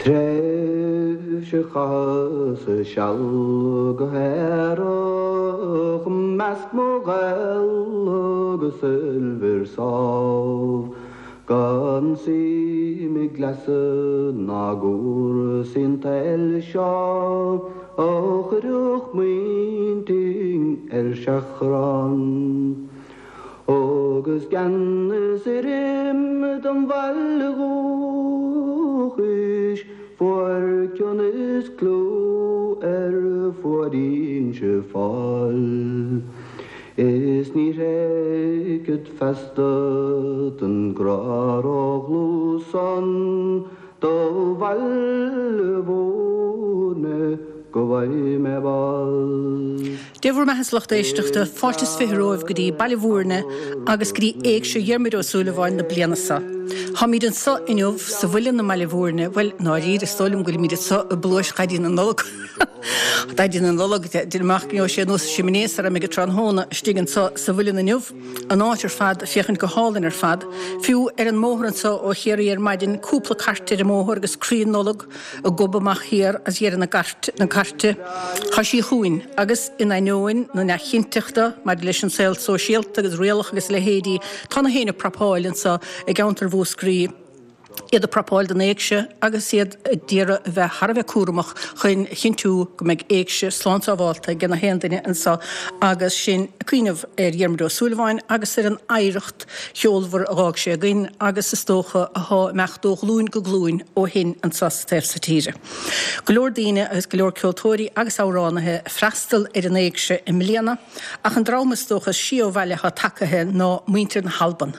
Tréimhse chaitheas seal go haerach 'measc mo ghaol agus soilbhir sámh, gan suim i gcleasa ná gcúrsaí an tsaoil seo a chuirfeadh m'intinn ar seachrán. Agus gan fhios ar im dom bhaile dhúchais fuair cion is clú ar fuaid Inse Fáil. Is ní thréigfead feasta don grá ródhlúth san Do Bhaile Mhúirne go bhfaighidh mé bás. Dé bhur mbeatha a lucht éisteachta, fáilte is 20 romhaibh go dtí Baile Mhúirne agus go dtí Éigse Dhiarmuid Ó Súilleabháin na bliana seo. Táimíd anso inniu sa Mhuileann i mBaile Mhúirne, bhuel, i ndáiríre, is dóigh liom go bhfuilimíd anso i bpluais Dhaidí na Nollag. Daidí na Nollag, deinim amach go ngeobhaidh sé anuas an simné sara mbeidh an tráthnóna istigh anso sa mhuileann inniu. An áit ar fad ag féachaint go hálainn ar fad. Fiú ar an mbóthar anso ó Chiarraí ar maidin, cúpla cairt ar an mbóthar agus crainn Nollag ag gobadh amach thiar as dheireadh na cairte. Tá sí chugainn, agus in ainneoin na neamhchinnteachta maidir leis an saol sóisialta agus rialacha agus a leithéidí, tá na héinne ag prapáil anso i gceantar Mhúscraí. iad ag prapáil don éigse agus iad a d'iarraidh a bheith thar a bheith cúramach chun a chinntiú go mbeidh éigse slán sábhálta ag na haon duine anso agus sinn ag cuimhneamh ar Dhiarmuid Ó Súilleabháin agus ar an oidhreacht cheolmhar a dh'fhág sé againn agus is dócha athá ag imeacht ó ghlúin go glúin ó shin anso sa taobh so tíre. Go leor daoine agus go leor ceoltóirí agus amhránaithe ag freastal ar an éigse i mbliana. Ach an dream is dócha is sia ó bhaile atá tagaithe ná muintir na hAlban.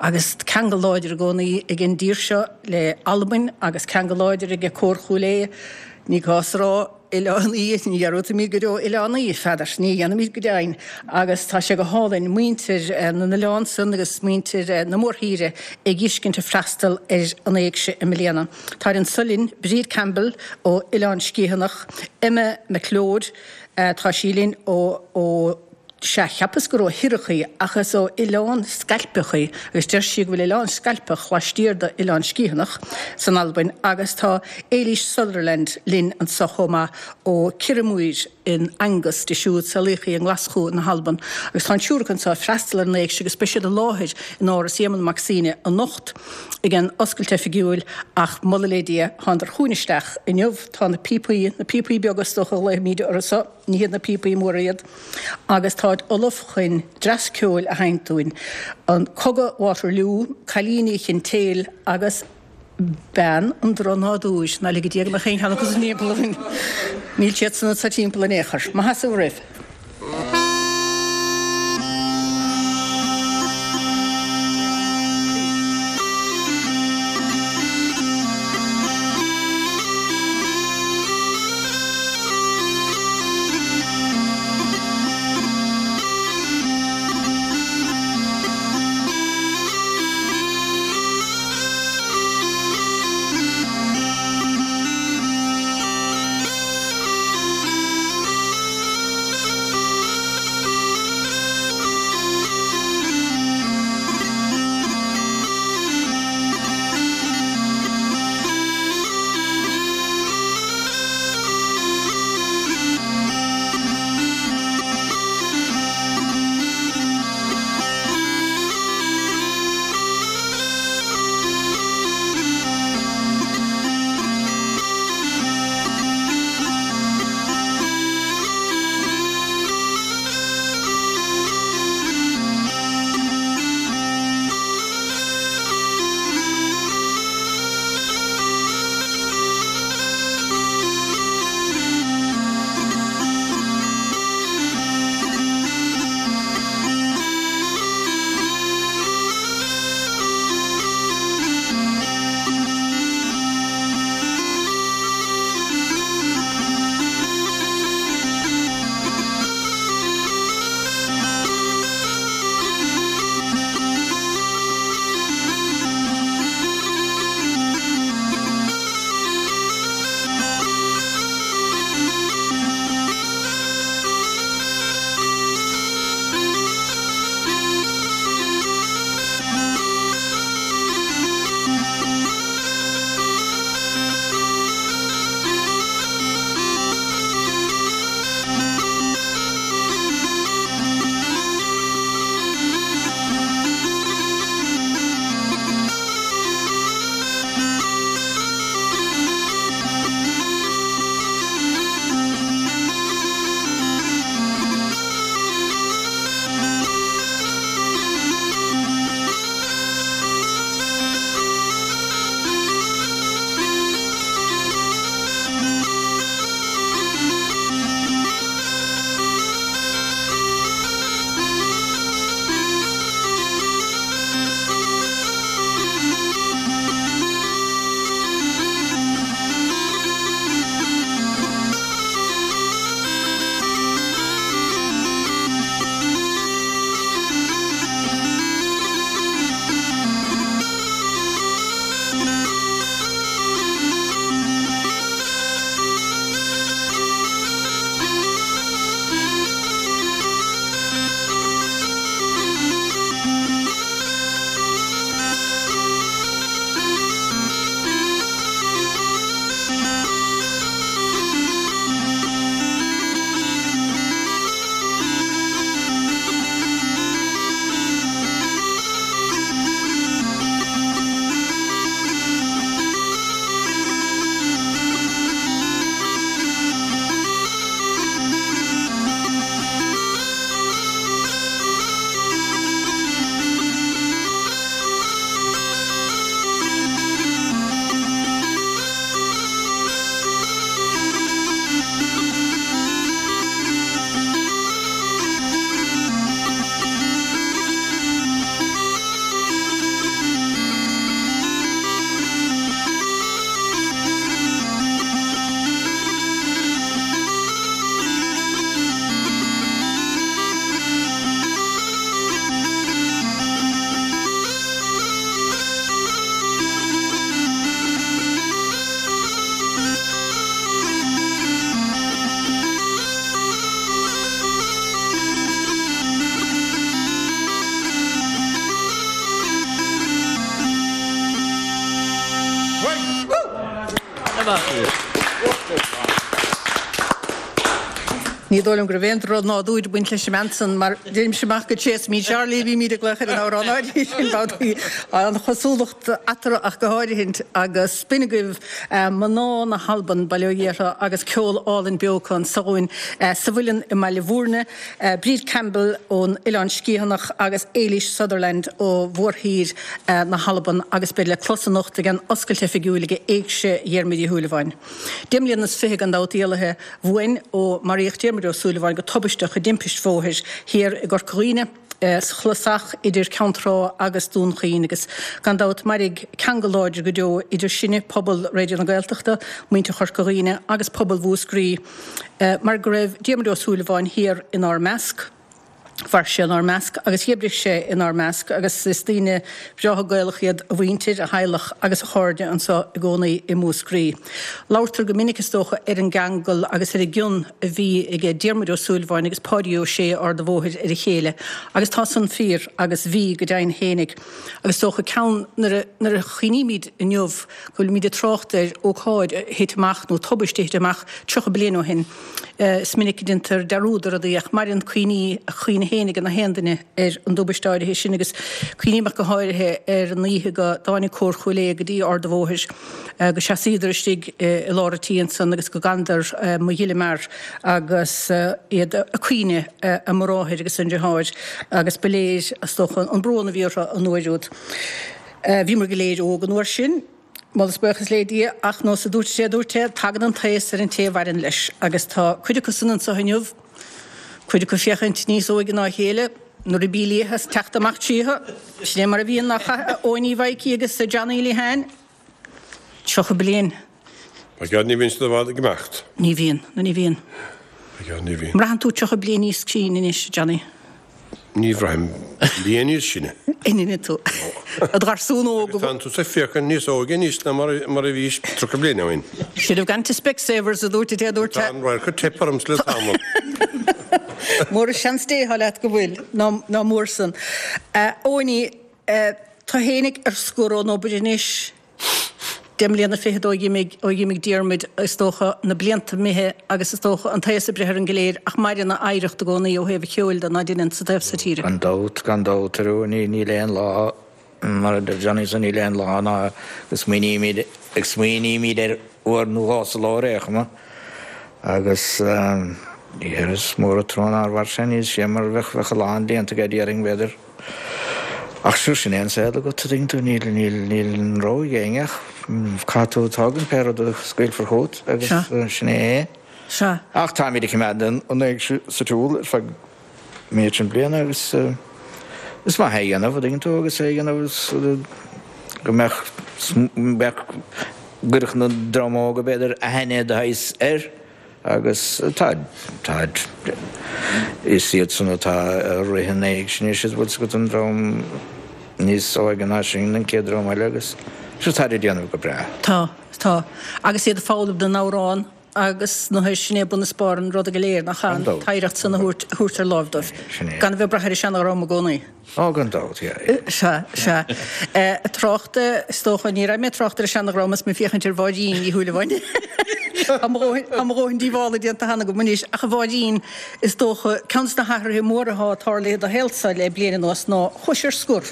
Agus ceangal láidir i gcónaí ag an dtír seo le Albain agus ceangal láidir aige Cór Chúil Aodha, ní gá a rá, Oileán Í, ní dhearúdfaimid go deo Oileán Í, Pheadair, ní dhéanfaimid go deimhin. Agus tá sé go hálainn muintir na n-oileán san agus muintir na mórthíre ag dh'fheiscint ag freastal ar an éigse i mbliana. Táid anso linn, Bríd Campbell ó Oileán Sgiathanach, Emma MacLeod, Tá sí linn ó, ó, sea, cheapas gur ó Shiorrachadh í, ach is ó Oileán Scailpeach í, agus deir sí go bhfuil Oileán Scailpeach laistiar d'Oileán Sgiathanach san Albain, agus tá Éilís Sutherland linn anso chomh maith ó Kirriemuir in Angus, di siúd, saolaíodh í i nGlaschú na hAlban, agus tá an triúr acu anso ag freastal ar an éigse agus beidh siad i láthair in Áras Éamonn Mac Suibhne anocht ag an oscailt oifigiúil, ach moladh le Dia, thánadar chugainn isteach inniu. Tá na píopaí, na píopaí beaga is dócha a ghlaofaimíd orthu so, ní hiad na píopaí móra iad, agus táid ullamh chun dreas ceoil a sheinnt dúinn. An Cogadh Waterloo, Cailíní Chintéil agus Bean an Drochnádúir. Ná lige Dia go mbeadh aon cheann acu san timpeall orainn. Níl siad san anso timpeall in aon chor. Maith as roimh. Ní dóigh liom go raibh aon drochnádúr ag baint leis an mbean san mar deirimse amach go tréas mí Charlie a bhímid ag glaoch ar an amhrán áirithe sin babhtaí. An chosúlacht eatarthu ach go háirithint agus b'in agaibh mná na hAlban, bail ó Dhia orthu, agus ceol álainn beo acu anso dhúinn sa Mhuileann i mBaile Bhúirne. Bríd Campbell ón Oileán Sgiathanach agus Éilís Sutherland ó mhórthír na hAlban agus beid le clos anocht ag an oscailt oifigiúil ag Éigse Dhiarmuid Uí Shúilleabháin. 25 mbliana gan dabht éalaithe uainn ó maraíodh Diarmuid Ó Súilleabháin go tubaisteach i dtimpist bhóthair thiar i gCorca Dhuibhne, sa chlosach idir Ceann Trá agus Dún Chaoin agus gan dabht mairfidh ceangal láidir go deo idir sinne, pobal Raidió na Gaeltachta, muintir Chorca Dhuibhne agus pobal Mhúscraí mar go raibh Diarmuid Ó Súilleabháin thiar inár measc. Mhair sé inár measc agus dh'oibrigh sé inár measc agus is daoine breátha Gaelach iad a mhuintir, a theaghlach agus a chairde anseo i gcónaí i Múscraí. Labhartar go minic is dócha ar an gceangal agus ar an gcion a bhí aige Diarmuid Ó Súilleabháin agus Páidí Ó Sé Ard a' Bhóthair ar a chéile agus tá san fíor agus bhí go deimhin fhéinig. Agus is dócha ceann nuair a nuair a chuimhnímid inniu go bhfuilimid ag trácht ar ócáid a thit amach nó tubaiste a thit amach 30 bliain ó shin is minic a déantar dearúd ar rudaí ach maireann cuimhní a chuimhne féin ag gach aon duine ar an dtubaiste áirithe sin agus cuimhním ach go háirithe ar an oíche go dtáinig Cór Chúil Aodha go dtí Ard a' Bhóthair go seasaíodar istigh i lár an tí ansan agus go gcanadar Mo Ghile Mear agus iad ag caoineadh a mbráthair agus a ndriotháir agus ba léir, is dócha, an brón a bhí orthu an uair úd. Bhíomar go léir óg an uair sin, moladh is buíochas le Dia, ach nós a dúirt sé a dúirt é, tagann an t-aos ar an té a mhaireann leis agus tá cuid acu san anso inniu, cuid acu féachaint níos óige ná a chéile, na ribí liatha ag teacht amach tríothu, sin é mar a bhíonn nach ea, a Eoiní Mhaidhcí agus a Johnny Lehane? 30 bliain. By God ní bhíonn siad i bhfad ag imeacht. Ní bhíonn, no ní bhíonn. By God ní bhíonn. Mbraitheann tú 30 bliain níos sine anois, Johnny? Ní bhraithim bliain níos sine. An ea tú? I do gharsún óg. Agus tánn tusa ag féachaint níos óige anois ná mar a bhís 30 bliain ó shin. Should have gone to Specsavers a dúirt a dúirt. Tá an radharc ag teip ormsa le tamall. Mór an seans Dé atá leat go bhfuil, ná mór san. A Eoiní, Tú fhéinig ar scor ón obair anois, 10 mbliana fichead ó dh'imigh, ó dh'imigh Diarmuid, is dócha, na blianta imithe agus is dócha an t-aos ag breith orainn go léir ach maireann a oidhreacht i gcónaí ó thaobh an cheoil de, ná deineann, sa taobh so tíre. Gan dabht, gan dabht, ar ndóigh, níl aon lá, mar a deir Johnny so, níl aon lá ná go smaoinímid, ag smaoinímid air uair nó dhó sa ló ar aon chuma agus is mór an trua nár mhair sé níos sia mar bheadh, bheadh a lán déanta aige déarfainn, b'fhéidir. Ach sure sin é an saol agat, a dtuigeann tú, níl, níl, níl an rogha ag éinne ach caithfidh tú tógaint pé rud a scaoilfear chugat agus sin é é. Sea. Ach táimid ag coimeád an éigse sa tsiúl ar feadh méid sin bliana agus is maith é a dhéanamh, a dtuigeann tú, agus é a dhéanamh go mbeadh, mbeadh, gcuirfeadh na dream óga b'fhéidir aithne de shaghas air. Agus tá, tá, is iad san atá ag rith an éigse anois, an bhfuil 's agat an dream níos óige ná sinn, an chéad dream eile agus sure táid ag déanamh go breá. Tá, tá. Agus iad ag foghlaim na n-amhrán agus na, sin é bun is barr an ruda go léir, nach ea, an t-oidhreacht san a thabhairt, a thabhairt ar láimh dóibh. Sin é. Gan a bheith ag brath ar an seana-dhream i gcónaí. Ó, gan dabht, yeah, yeah. Sea, sea. Ag trácht, is dócha, ní raibh mé ag trácht ar an seana-dhream is mé ag féachaint ar Mháirín Ní Shúilleabháin. Tá mo dhóthain, tá mo dhóthain díobhála déanta cheana agam anois, ach a Mháirín, is dócha, ceann de na hathruithe móra atá tarlaithe i do shaolsa le bliain anuas ná chuais ar scor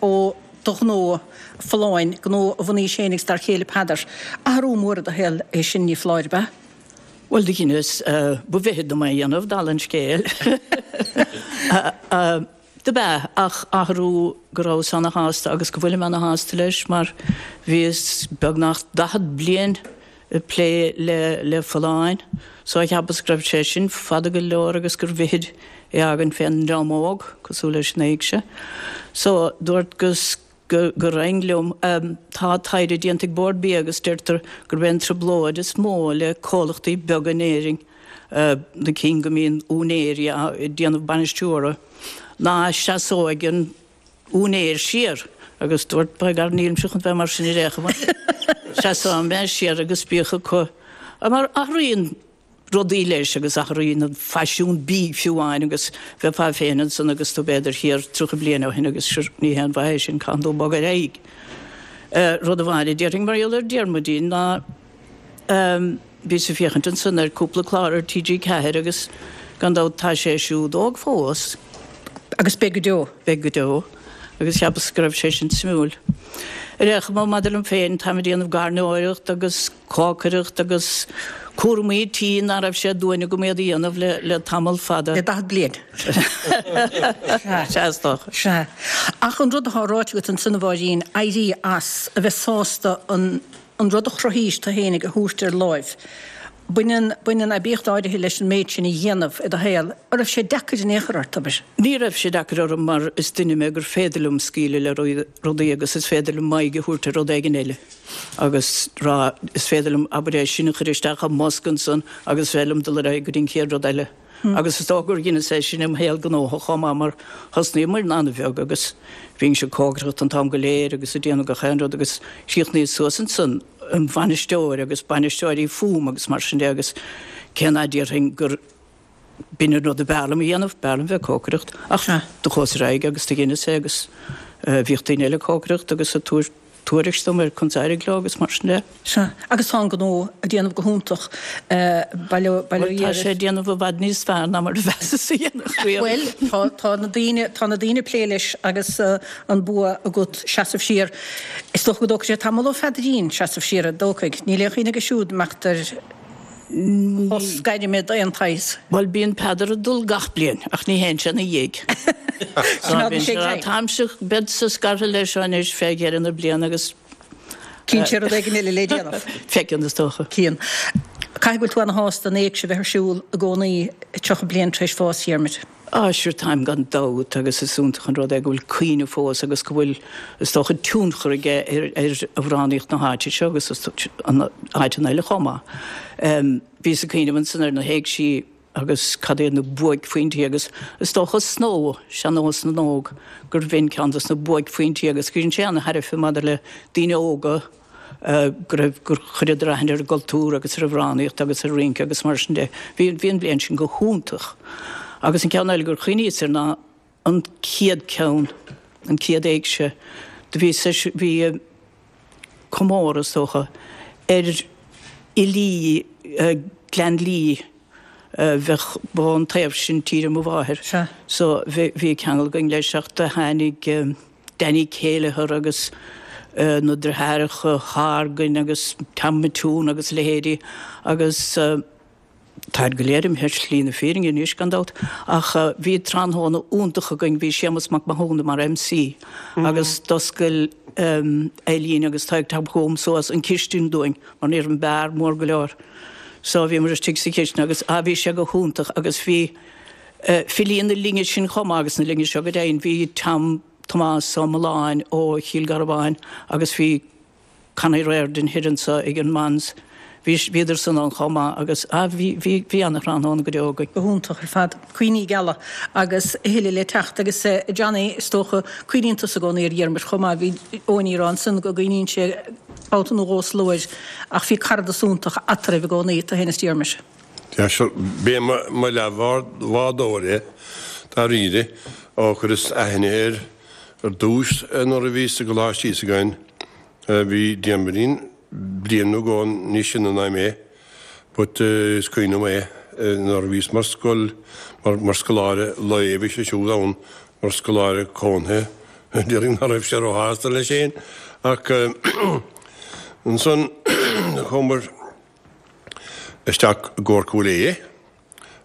ó do ghnó Folláin, gnó a bhunaís féin agus d'fhear céile Peadar. Athrú mór i do shaol é sin, ní foláir, ab ea? Bhuel, do dheineas, ba mhithid dom é a dhéanamh, dála an scéil. Dob ea, ach athrú go rabhas ana-shásta agus go bhfuilim ana-shásta leis mar bhíos beagnach 40 bliain ag plé le le Folláin so cheapas go raibh sé sin fada go leor agus gur mhithid é a fhágaint fén ndream óg, cosúil leis an éigse. So dúirt go go raghainn liom. Tá taighde déanta ag Bord Bia agus deirtear gurb é an trioblóid is mó le comhlachtaí beaga in Éirinn, na cinn go mbíonn úinéirí ag déanamh bainisteora, ná seasóidh an úinéir siar agus dúirt by gar nílimse chun bheith mar sin ar aon chuma. Seasóidh mé siar agus bíodh acu. Mar athraíonn rudaí leis agus athraíonn an faisiún bídh fiú amháin agus bheifeá féin ansan agus tú b'fhéidir thiar 30 bliain ó shin agus sure ní haon mhaith é sin, caitheann tú bogadh ar aghaidh. Rud amháin a déarfainn mar gheall ar Diarmuidín ná. Bhíos ag féachaint ansan ar cúpla clár ar TG4 agus gan dabht tá sé siúd óg fós. Agus beidh go deo. Beidh go deo. Agus cheapas go raibh sé sin suimiúil. Ar aon chuma, maidir liom féin, táim ag déanamh gairneoireacht agus cócaireacht agus cúramaí tí ná raibh sé d'uain agam iad a dhéanamh le le tamall fada. Le 40 bliain. Sea, is dócha. Sea. Ach an rud atá ráite agat ansan, a Mháirín, éirí as, a bheith sásta an an rud a chruthaís tú fhéinig a thabhairt ar láimh. Baineann, baineann aibíocht áirithe leis an méid sin a dhéanamh i do shaol. An raibh sé deacair in aon chor ort, abair? Ní raibh sé deacair orm mar is duine mé gur féidir liom scaoileadh le rudaí agus is féidir liom m'aghaidh a thabhairt ar rud éigin eile agus rá, is féidir liom, abair, é sin a chur isteach i mbosca ansan agus is féidir liom dul ar aghaidh go dtí an chéad rud eile. Agus is dócha gur dheineas é sin im shaol gnóthach chomh maith mar thosnaíomair an-bheag agus bhínnse ag cócaireacht an t-am go léir agus ag déanamh gach aon rud agus chríochnaíos suas ansan im bhainisteoir agus bainisteoirí fúm agus mar sin de agus cé ná déarfainn gur b'in an rud a b'fhearr liom a dhéanamh, b'fhearr liom bheith ag cócaireacht ach do chuas ar aghaidh agus do dheineas é agus bhíodh daoine eile ag cócaireacht agus ag tabhairt tuairisc dom ar conas d'éirigh leo agus mar sin de. Sea, agus tá an gnó ag déanamh go hiontach, bail ó Bhuel, tá sé ag déanamh i bhfad níos fearr ná mar a mheasas a dhéanfadh riamh. Bhuel, tá, tá na daoine, tá na daoine ag plé leis agus an bua agat seasamh siar. Is dócha go dtógfaidh sé tamall ó Pheadairín seasamh siar, an dtógfaidh? Níl aon chuimhne aige siúd imeacht ar shos gairme d'aon tsaghas. Bhuel, bíonn Peadar ag dul gach bliain, ach ní théann sé ina dhiaidh. So, bíonn sé ag rá, táimse, beadsa scartha leis seo anois fé dheireadh na bliana agus. Cíonn sé rud éigin eile le déanamh. Feiceann, is dócha. Cíonn. Caithfidh go bhfuil tú ana-shásta an éigse a bheith ar siúl i gcónaí 30 bliain tar éis bhás Dhiarmuid. Á, sure, táim gan dabht agus is iontach an rud é go bhfuil cuimhne fós agus go bhfuil, is dócha, tionchar aige ar amhránaíocht na háite seo agus áiteanna eile chomh maith. Bhíos ag cuimhneamh ansan ar na héigsí agus cad iad na buaicphointí agus is dócha Snow, Sean-Nós na nÓg, gurbh in ceann dos na buaicphointí agus go dhein sé ana-thairbhe maidir le daoine óga, go raibh, gur chuireadar aithne ar an gcultúr agus ar amhránaíocht agus ar rince agus mar sin de. Bhí, bhí an bhliain sin go hiontach. Agus an ceann eile gur chuimhníos air ná an chéad ceann, an chéad éigse, do bhí, bhí comóradh, is dócha, ar fhilí Ghleann Lí, bheadh, ba ón taobh sin tíre mo mháthair, so bhí, bhí ceangal againn leis ach do tháinig, Danny Kelleher agus na deartháireacha Horgan agus Tom McToon agus a leithéidí agus táid go léir imithe ar shlí na fírinne anois gan dabht ach bhí tráthnóna iontach againn, bhí Séamus Mac Mathúna mar MC agus d'oscail Eileen agus Tadhg Tom Chugam suas an chistin dúinn mar ní raibh an beár mór go leor so bhíomar istigh sa chistin agus ah bhí sé go hiontach agus bhí Filí na linne sin chomh maith agus na linne seo go deimhin. Bhí Tom Tomás Ó Mealláin ó Chill Garbháin agus bhí Connie Riordan thoir anso ag an Mons. Bhí, bhíodar san ann chomh maith agus, ah, bhí, bhí, bhí ana-thráthnóna go deo againn. Go hiontach ar fad. Cuimhní geala agus a thuilleadh le teacht. Agus Johnny, is dócha, cuimhníonn tusa i gcónaí ar Dhiarmuid chomh maith. Bhí Eoiní ag rá ansan go gcuimhníonn sé babhta nó dhó sa ló air ach bhí caradas iontach eatarthu i gcónaí, tú féin is Diarmuid. Sea, sure, b'é mo leathbhádóir é, dáiríre, ó chuireas aithne air ar dtús nuair a bhíos i gColáiste Íosagáin. Bhí Diarmuidín bliain nó dhó níos sine ná mé, but is cuimhin liom é nuair a bhíos mar scoil, mar scoláire lae, bhí sé siúd ann mar scoláire cónaithe, déarfainn ná raibh sé róshásta leis féin, ach ansan chuamar. isteach i gCór Chúil Aodha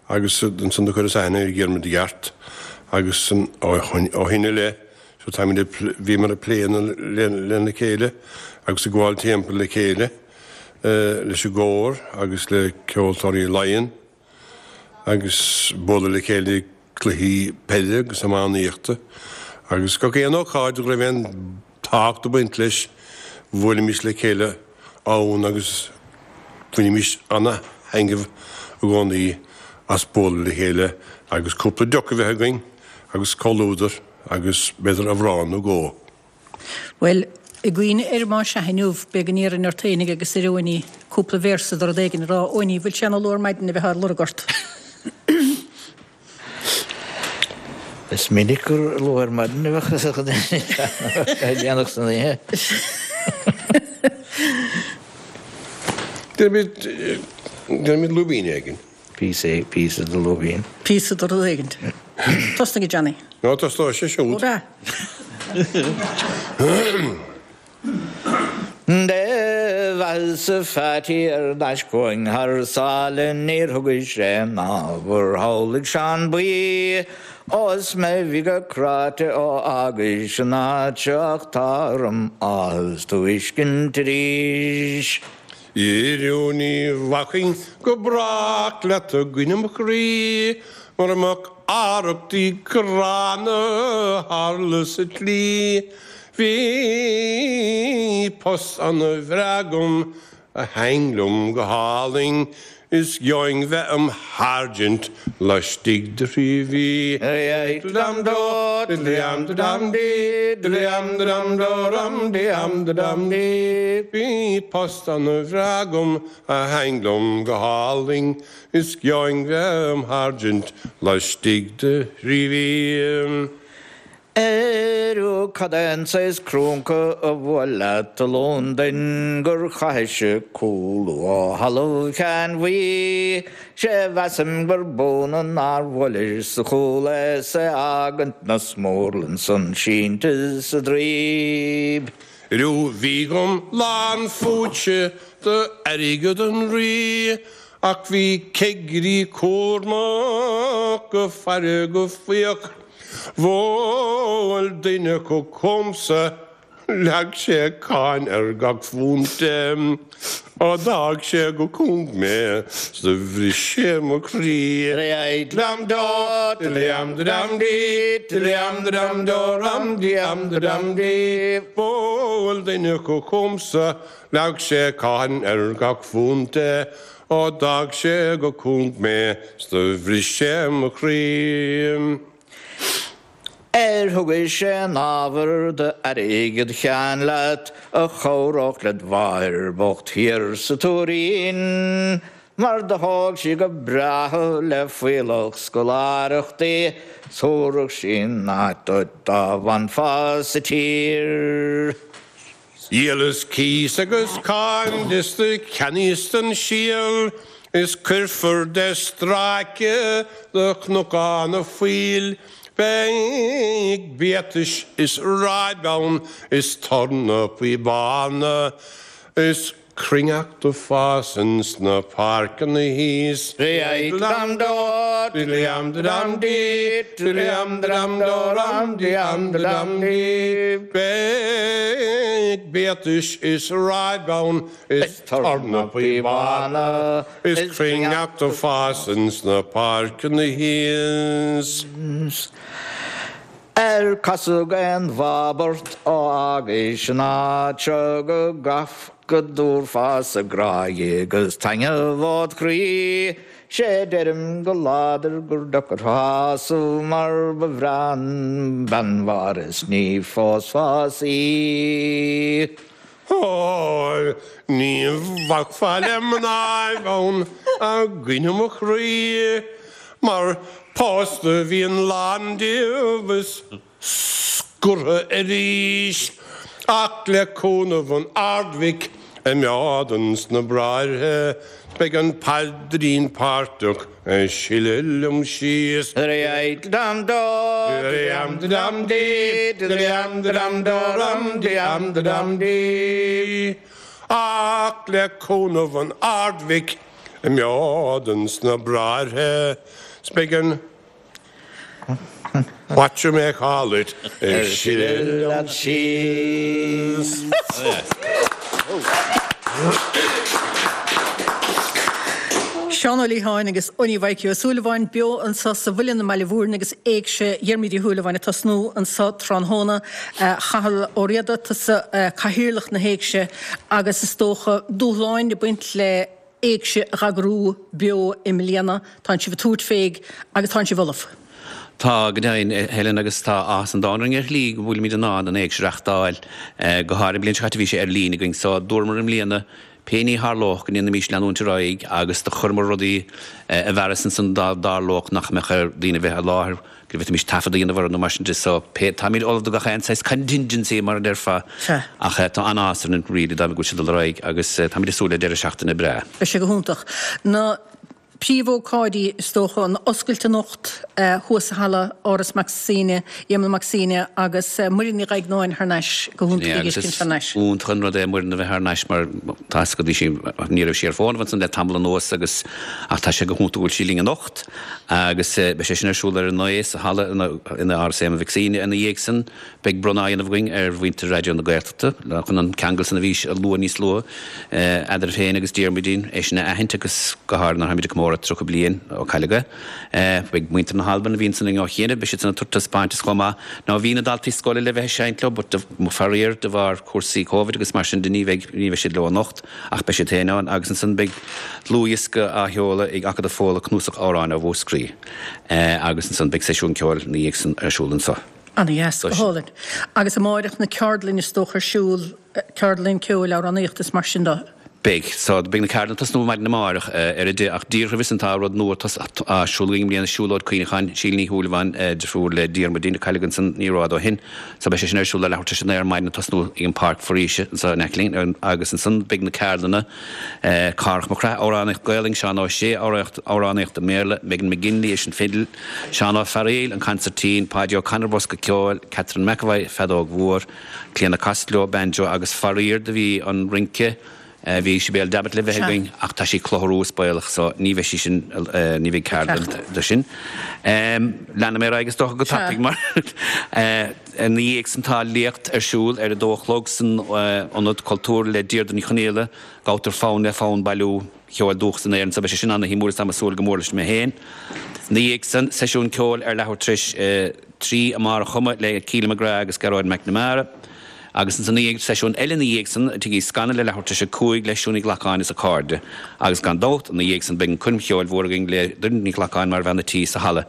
agus ansan do chuireas aithne ar Dhiarmuid i gceart agus ó shin i leith so táimid ag, bhíomar ag plé lena chéile agus ag gabháil timpeall le chéile leis an gcór agus le Ceoltóirí Laighean agus bualadh le chéile ag cluichí peile agus iománaíochta agus gach aon ócáid go raibh aon tábhacht ag baint leis, bhuailimis le chéile ann agus bhainimis ana-thaitneamh i gcónaí as bualadh le chéile agus cúpla deoch a bheith againn agus comhluadar agus b'fhéidir amhrán nó dhó. Bhuel, i gcuimhne ar má sea inniu, beidh go n-iarrfainn ort fhéinig agus ar Eoiní cúpla véarsa de rud éigin a rá. Eoiní, bhfuil sé ana-luath ar maidin a bheith á lorg ort? Is minic gur luath ar maidin a bheadh fhios ag daoine a dhéanamh san oíche. Déanfaimid, déanfaimid lúibín éigin. Píosa, píosa de lúibín. Píosa de rud éigin. Tosnaigh, a Johnny. Nó tosnóidh sé siúd. Ó b'ea. Do bheathasa Phatty ar n-ais chugainn thar sáile níor thugais aon ábhar shamhlaigh Seán Buí Ó is mé bhí go cráite ó fhágais an áit seo ach tá orm áthas tú fheiscint arís. Airiú ní bhacfainn go brách leat a dhuine mo chroí mura mbeadh arrachtaí gránna a tharla sa tslí. Bhí post ana bhreá agam a thaithin liom go hálainn is gheobhainn bheith im sháirsint laistigh de thrí mhí. Bhí post ana bhreá agam a thaithin liom go hálainn is gheobhainn bheith im sháirsint laistigh de thrí mhí. Airiú cad é an saghas crúnca a bhuail leat i Londain gur chaithis cúlú ó thalamh Sheáin Bhuí? Sé mheasaim gur b'ionadh nár bhuailis sa chúl é 's é fhágaint 'na smúrlann san sínte sa draoib. Airiú bhí agam lán phúitse d'airgead an Rí ach bhí cigirí cúramach ag faire go faíoch. Bhuail duine acu chugamsa, leag sé cáin ar gach phunt de, ó d'fhág sé go cúng mé 's do bhris sé mo chroí. Bhuail duine acu chugamsa, leag sé cáin ar gach phunt de, ó d'fhág sé go cúng mé 's do bhris sé mo chroí. Ar thugais aon ábhar d'airgead Sheáin leat a chabhródh led mháthair bocht thiar sa Tuairín? Mar do thóg sí go breá thú le fuíollach scoláireachtaí 's thabharfadh sí an áit duit dá bhfanfá sa tír. Dhíolas cíos agus cáin de 's do cheannaíos an síol is cuirfear de stráice do Chnocán a' Phoill. Beidh biatais is ráib ann is tornapaí bána is cruithneacht ag fás ins na páirceanna thíos. Beidh biatais is ráib ann is tornapaí bána is cruithneacht ag fás ins na páirceanna thíos. Ar casadh aon bháb ort ó fhágais an áit seo go gcaith go dtabharfá-sa grá dhi agus taitneamh ód chroí? Sé deirim go láidir gur deacair thú shásamh mar ba bhreá an bean Mháire is ní phósfá-sa í. Ó, ní bhacfá le mnáibh ann a dhuine mo chroí, mar pósta bhíonn lán díobh is scortha arís, ach le cúnamh an Ard-Mhic a mheádan sna bráithre, beidh an paidrín páirteach ag sileadh liom síos. Ach le cúnamh an Ard-Mhic a mheádan sna bráithre, 's beidh an What you may call it ag sileadh liom síos. Seán Ó Liatháin agus Owenie Mhaidhcí Ó Súilleabháin beo anseo sa Mhuileann i mBaile Mhúirne agus Éigse Dhiarmuid Uí Shúilleabháin ag tosnú anseo tráthnóna. Cathal Ó Riada, tusa Cathaoirleach na hÉigse agus is dócha dúshláin ag baint le Éigse a dh'eagrú beo i mbliana. Tánn sibh ag tabhairt fé agus tánn sibh ullamh. Tá, go deimhin, Helen, agus tá áthas an domhain orainn ar shlí go bhfuilimid in ann an Éigse a reachtáil. Go háirithe an bhliain seo caite bhí sé ar líne againn so dúramar i mbliana. Pé ní tharlódh, go ndéanfaimis leanúint ar aghaidh agus do chuireamar rudaí i bhfearas ansan dá dtarlódh nach mbeadh ar daoine bheith i láthair, go bhféadfaimis taifead a dhéanamh orthu nó mar sin de. So, pé, táimid ullamh do gach aon saghas contingency mar a déarfá. Sea. Ach tá an-áthas orainn really dá go bhfuil sé ag dul ar aghaidh agus táimid ag súil le deireadh seachtaine breá. Beidh sé go hiontach. Na príomhócáidí, is dócha, an oscailt anocht thuas sa halla, Áras Mac Suibhne, Éamonn Mac Suibhne agus Muireann Ní Dhaighneáin thar n-ais, go hiontach í a fheiscint thar n-ais. Iontach an rud é Muireann a bheith thar n-ais mar tá fhios agat bhí sí, ní raibh sí ar fónamh ansan le tamall anuas agus ach tá sé go hiontach go bhfuil sí linn anocht agus beidh sé sin ar siúl ar a naoi sa halla in Áras Éamonn Mhic Suibhne ina dhiaidh san. Beidh bronnadh á dhéanamh againn ar mhuintir Raidió na Gaeltachta chun an ceangal san a bhí á lua níos luaithe eadraibh féin agus Diarmuidín, é sin a aithint agus go háirithe nuair atáimid ag comóradh 30 bliain ó cailleadh é. Beidh muintir na hAlban a bhí ansan ó chianaibh, beidh siad san ag tabhairt taispeántas chomh maith. Now bhí na daltaí scoile le bheith ag seinnt leo but faraor de bharr cúrsaí Covid agus mar sin de ní bheidh ní bheidh siad leo anocht ach beidh siad féin ann agus ansan beidh dlúthdhiosca á sheoladh ag Acadamh Fódhla cnuasach amhráin ó Mhúscraí agus ansan beidh seisiún ceoil ina dhiaidh san ar siúl anso. Ana-dheas, go hálainn. Agus amáireach na ceardlainn is dócha ar siúl, ceardlann ceoil, amhránaíochta is mar sin de. Beidh. So, beidh na ceardlanna ag tosnú maidin amáireach ar a deich ach díreach roimhe san tá rud nua á siúl againn i mbliana, Siúlóid Cuimhneacháin Síle Ní Shúilleabháin, deirfiúr le Diarmuidín a cailleadh ansan ní rófhada ó shin. So beidh sé sin ar siúl ar leathuair tar éis a naoi ar maidin ag tosnú ag an Páirc Foraoise anso in aice linn agus ansan beidh na ceardlanna, Cárthach Mac Craith, amhránaíocht Gaelainn, Seán Ó Sé, amhránaíocht i mBéarla, Megan McGinley leis an fidil, Seán Ó Fearaíl, an consairtín, Páidí Ó Connor, bosca ceoil, Catherine McEvoy, feadóg mhór, Clíona Costello, banjo agus faraor do bhí an rince, bhí Sibéal Davitt le bheith againn ach tá sí ag clutharú is baolach so ní bheidh sí sin, ní bheidh ceardlann de sin. Leanfaidh mé ar aghaidh is dócha go tapaidh mar ina dhiaidh san tá léacht ar siúl ar a dó a chlog san Ionad Cultúir le Deirdre Ní Chonaola, Gabhtar fonn le fonn bailiú. cheoil dúchas in Éirinn so beidh sé sin ana-shuimiúil is táim ag súil go mór leis mé féin. Ina dhiaidh san, seisiún ceoil ar leathuair tar éis 3 amárach chomh maith le Keely McGrath agus Gearóid McNamara. Agus ansan ina dhiaidh, seisiún eile ina dhiaidh san i Tigh Uí Scanaill ar leathuair tar éis 5 le Siún Ní Ghlacáin is a cairde. Agus gan dabht, ina dhiaidh san beidh an coirm cheoil mhór againn le Doireann Ní Ghlacáin mar bhean a' tí sa halla.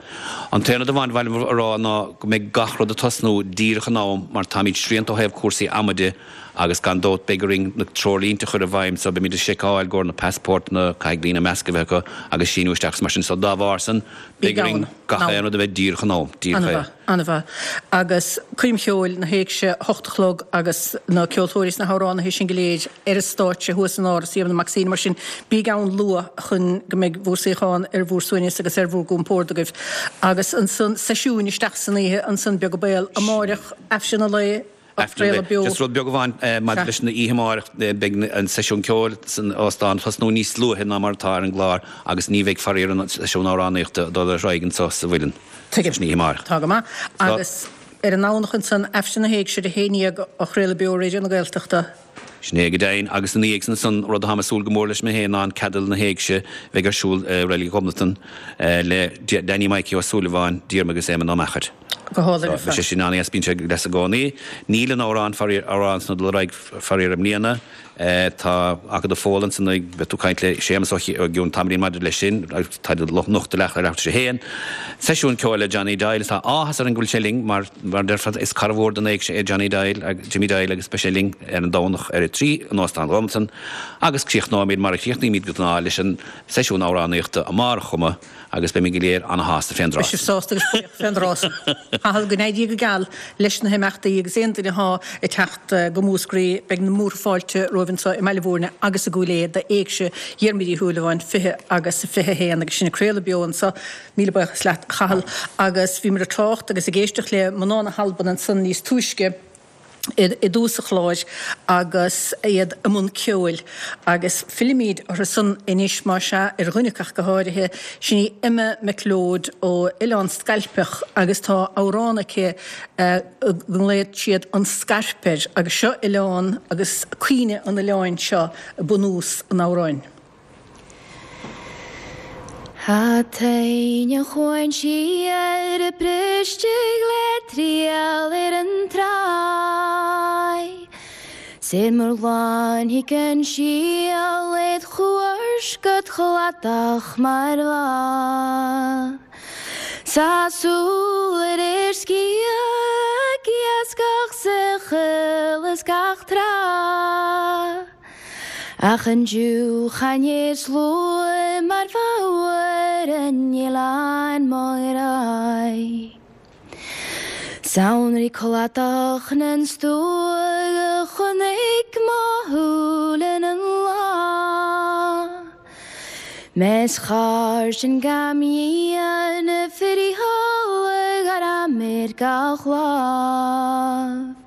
An t-aon rud amháin ba mhaith liom a rá ná go mbeidh gach rud ag tosnú díreach in am mar táimid srianta ó thaobh cúrsaí ama de, Agus gan dabht beidh orainn na treoirlínte a chur i bhfeidhm so beimid ag seiceáil i gcomhair na passportanna, caithfidh daoine masc a bheith acu agus síniú isteach is mar sin so dá bharr san beidh orainn gach aon rud a bheith díreach in am, díreach é. An-mhaith, an-mhaith. Agus coirm cheoil na hÉigse, 8 a chlog agus na ceoltóirí is na hamhránaithe sin go léir ar an stáitse thuas in Áras Éamonn Mac Suibhne mar sin bíg ann luath chun go mbeidh bhur suíochán ar bhur suaimhneas agus ar bhur gcompord agaibh. Agus ansan seisiúin isteach san oíche ansan beag an baol amáireach Aifreann an lae, Á chraoladh beo. Just rud beag amháin maidir leis an oíche amárach, beidh an seisiún ceoil san óstán ag tosnú níos luaithe ná mar atá ar an gclár agus ní bheidh faraor an seisiún amhránaíochta ag dul ar aghaidh anseo sa Mhuileann Tuigim. san oíche amárach. Tá go maith. Agus ar an nDomhnach ansan, Aifreann na hÉigse ar a haon dhéag á chraoladh beo Raidió na Gaeltachta. Sin é go deimhin. Agus ina dhiaidh san ansan, rud atáim ag súil go mór leis mé féin ná an Ceadail na hÉigse a bheidh ar siúl i Reilig Ghobnatan le Danny Mikey Ó Súilleabháin, Diarmuid agus Éamonn Ó Meachair. Go hálainn ar fad. Beidh sé sin an-dheas, bíonn sé deas i gcónaí. Níl an amhrán faraor, amhrán san ag dul ar aghaidh faraor i mbliana. Tá Acadamh Fódhla ansan ag, beidh tú ag caint le Séamus ó gcionn tamaillín maidir leis sin, agus tá anocht ar leathuair tar éis a haon. Seisiún ceoil le Johnny Doyle, tá áthas orainn go bhfuil sé linn mar, mar a déarfá, is cara mhór don Éigse é Johnny Doyle, Jimmy Doyle agus beidh sé linn ar an Domhnach ar a 3 in Óstán Ghobnatan agus críochnóimid mar a chríochnaímid de ghnáth leis an seisiún amhránaíochta amárach chomh maith. Agus beimid go léir ana-shásta fén dtráth. Beidh sibh sásta agus buíoch fén dtráth san. Cathal, go n-éirí go geal leis na himeachtaí agus aon duine athá ag teacht go Múscraí, beidh na múrtha fáilte romhaibh anso i mBaile Mhúirne agus i gCúil Aodha d'Éigse Dhiarmuid Uí Shúilleabháin 20 agus 21 agus sinn ag craoladh beo anso. Míle buíochas leat, a Chathail. Agus bhíomar ag trácht agus ag éisteacht le mná na hAlban ansan níos túisce. i dtús an chláir agus iad i mbun ceoil agus fillfimid orthu san anois, más ea, ar dhuine acu ach go háirithe, sin í Emma MacLeod ó Oileán Scailpeach agus tá amhrán aici go nglaonn siad An Scairp air agus seo oileán agus cuimhne an oileáin seo bunús an amhráin. Tá toinn an chuain siar briste le triall ar an tráigh. 'S ar mo ghlanfaidh an síol id chuairt go cladach mar bha. 'S a súil ar ar sciath ag iascach sa choill is gach tráth. Ach an dtiúchan is luath mar bhóthar an oileáin mo ghrá. Samhraidh cladach na stuaidh a chonaic mo shúil ina lá. Mes char sin gam dhéan friotháladh ar am ar gach lámh.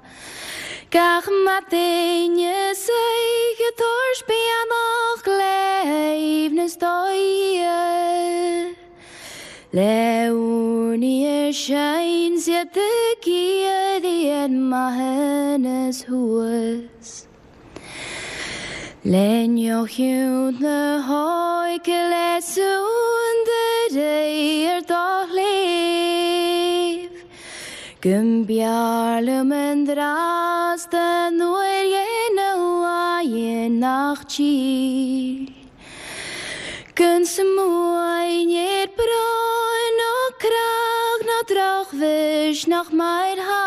Gach maidin is oíche tabhairt beannacht le haoibhneas do Dhia. Le urnaí ar seinnse do ghiorraí ar maithiúnas thuas. Le neochiúint na hóige le suan de réir do shléibh. Go mb'fhearr liom an dreas den uair dhéanamh laighean nach tír. Gan smaoineamh ar brón ná creach ná drochmhisneach mar tha.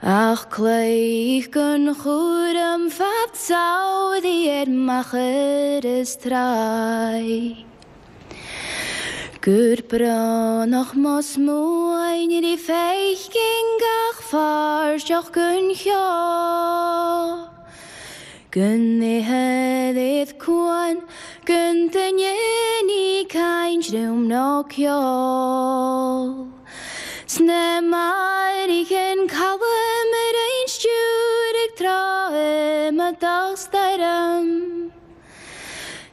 Ach cloích gan chúram fad samhraidh ar machaire is tráigh. Gur brónach mo smaoineamh rí feicinn gach fairseach gon cheo. Go n-ithe cuan gan duine ní caint liom ná ceol. Sna mairícheann calm ar aon stiúir ag tráth i mo dá stoirm.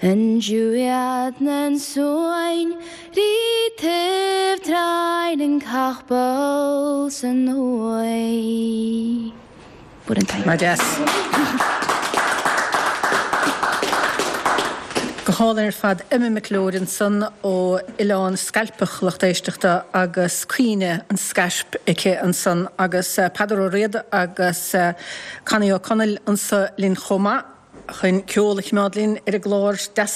An dúiad na suain rí taobh tráinn an capall san uaigh. Mar deas. Go hálainn ar fad. Emma McLeod ansan ó Oileán Scailpeach, lucht éisteachta, agus Caoineadh an Scaisp aici ansan agus Peadar Ó Riada agus Connie Ó Conaill anso linn chomh maith. chun ceol a choimeád linn ar an gclár. Deas,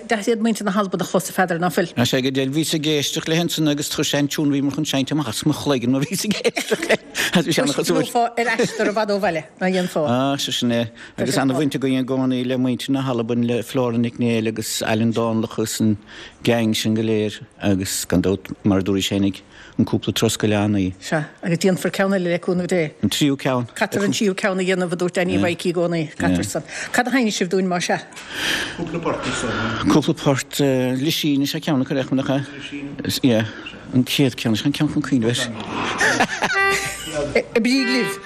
deas iad muintir na hAlban a chlos, a Pheadair, ná fuil? Tá sé go diail. Bhíos ag éisteacht léi ansan agus chuir sé an tiún a bhíomar chun seinnt amach as mo chloigeann mar bhíos ag éisteacht léi. Agus bhí sé ana-chosúil. Gheofá ar aistear i bhfad ó bhaile, ná dhéanfá? Á, sé sin é. Agus ana-bhaint againn i gcónaí le muintir na hAlban, le Flora Nic Néill agus Alan Dánlach agus an gang sin go léir agus gan dabht, mar a dúraís fhéinig, An cúpla turas go Oileán Í. Sea, agus déanfar ceann eile le cúnamh Dé. An tríú ceann. Caithfear an tríú ceann a dhéanamh, a dúirt Danny Mhaidhcí i gcónaí. Caithfear san. Cad a sheinnfidh sibh dúinn, más ea? Cúpla port is dócha. Cúpla port. Lisín is ea ceann acu, nach ea? Lisín. Yeah. An chéad ceann, is ea an ceann chun cuimhneamh air. Oibrígí libh.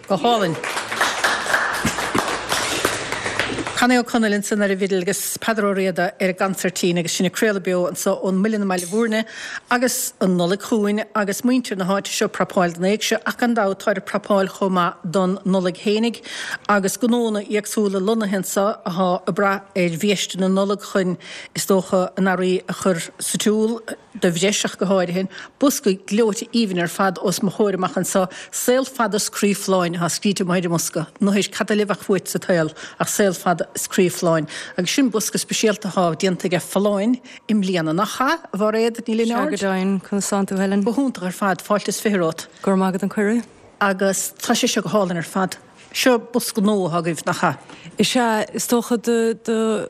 Go hálainn. Connie Ó Conaill ansan ar an bhfidil agus Peadar Ó Riada ar an gconsairtín agus sinn ag craoladh beo anso ón Muileann i mBaile Bhúirne agus an Nollaig chugainn agus muintir na háite seo ag prapáil don éigse ach gan dabht táid ag prapáil chomh maith don Nollaig fhéinig agus gnónna éagsúla lonnaithe anso athá ag brath ar bhiaiste na Nollag chun is dócha a n-earraí a chur sa tsiúl. de bhreis ach go háirithe. Bosca gleoite aoibhinn ar fad os mo chomhair amach anso. Saol fada is croí folláin atá scríte amuigh ar an mbosca. Anois, cad eile a bheadh uait sa tsaol ach saol fada is croí folláin. Agus sin bosca speisialta atá déanta aige Folláin i mbliana, nach ea, a Mhairéad Ní Sea go Lionáird? deimhin. Conas tánn tú, Helen? Go hiontach ar fad. Fáilte is 20 romhat. Go raibh maith agat an cuireadh. Agus tá sé seo go hálainn ar fad. Seo bosca nua atá agaibh, nach ea? Is ea, is dócha do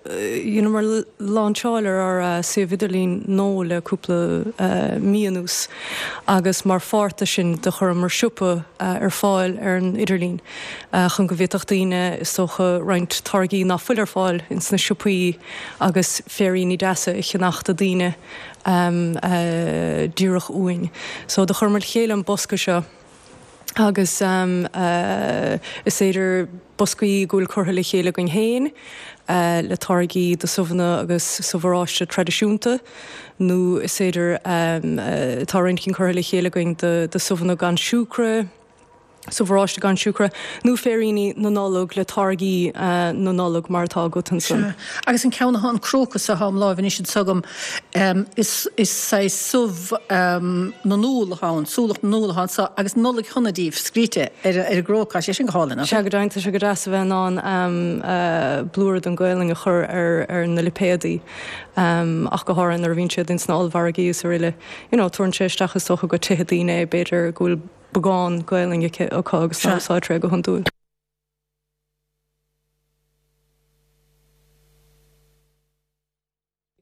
dheineamar láinseáil ar ár suíomh idirlín nua le cúpla mí anuas agus mar pháirt de sin do chuireamar siopa ar fáil ar an idirlíon chun go bhféadfadh daoine is dócha roinnt táirgí ná fuil ar fáil ins na siopaí agus féiríní deasa a cheannach do daoine díreach uainn. So do chuireamar le chéile an bosca seo. agus is féidir boscaí go bhfuil curtha le chéile againn féin le táirgí de subhanna agus subh oráiste traidisiúnta nó is féidir tá roinnt cinn curtha le chéile againn de subhanna gan siúcra, subh oráiste gan siúcra nó féiríní na Nollag le táirgí na Nollag mar atá agat ansan. Sea. Agus an ceann atá an crócas atá im láimh anois anso agam, Is saghas subh na n-úll atá ann, súlach na n-úll atá anso agus Nollaig shona daoibh scríte ar an gcróca. Tá sé sin go hálainn, nach Sea go deimhin, tá sé go deas a bheith in ann blúire den Ghaelainn a chur ar na lipéadaí, ach go háirithe nuair a bhíonn siad ins na ollmhargaí is araile. You know, tabharann sé isteach is dócha go tithe daoine é, b'fhéidir go bhfuil beagán Gaelainn acu agus ná úsáidtear é go hiondúil.